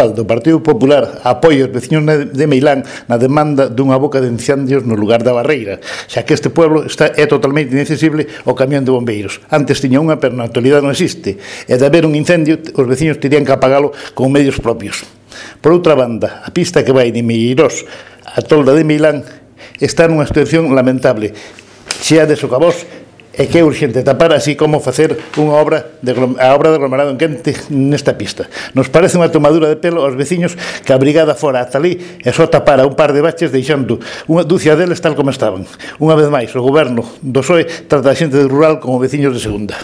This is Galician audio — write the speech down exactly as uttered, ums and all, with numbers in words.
municipal do Partido Popular apoia os veciños de Meilán na demanda dunha boca de incendios no lugar da Barreira, xa que este pueblo está, é totalmente inaccesible ao camión de bombeiros. Antes tiña unha, pero na actualidade non existe, e de haber un incendio os veciños terían que apagalo con medios propios. Por outra banda, a pista que vai de Meirós a Tolda de Meilán está nunha situación lamentable, chea de socavós, e que é urgente tapar, así como facer unha obra de, a obra de aglomerado en quente nesta pista. Nos parece unha tomadura de pelo aos veciños que a brigada fora ata ali e só tapara un par de baches deixando unha dúcia deles tal como estaban. Unha vez máis, o goberno do P S O E trata a xente rural como veciños de segunda.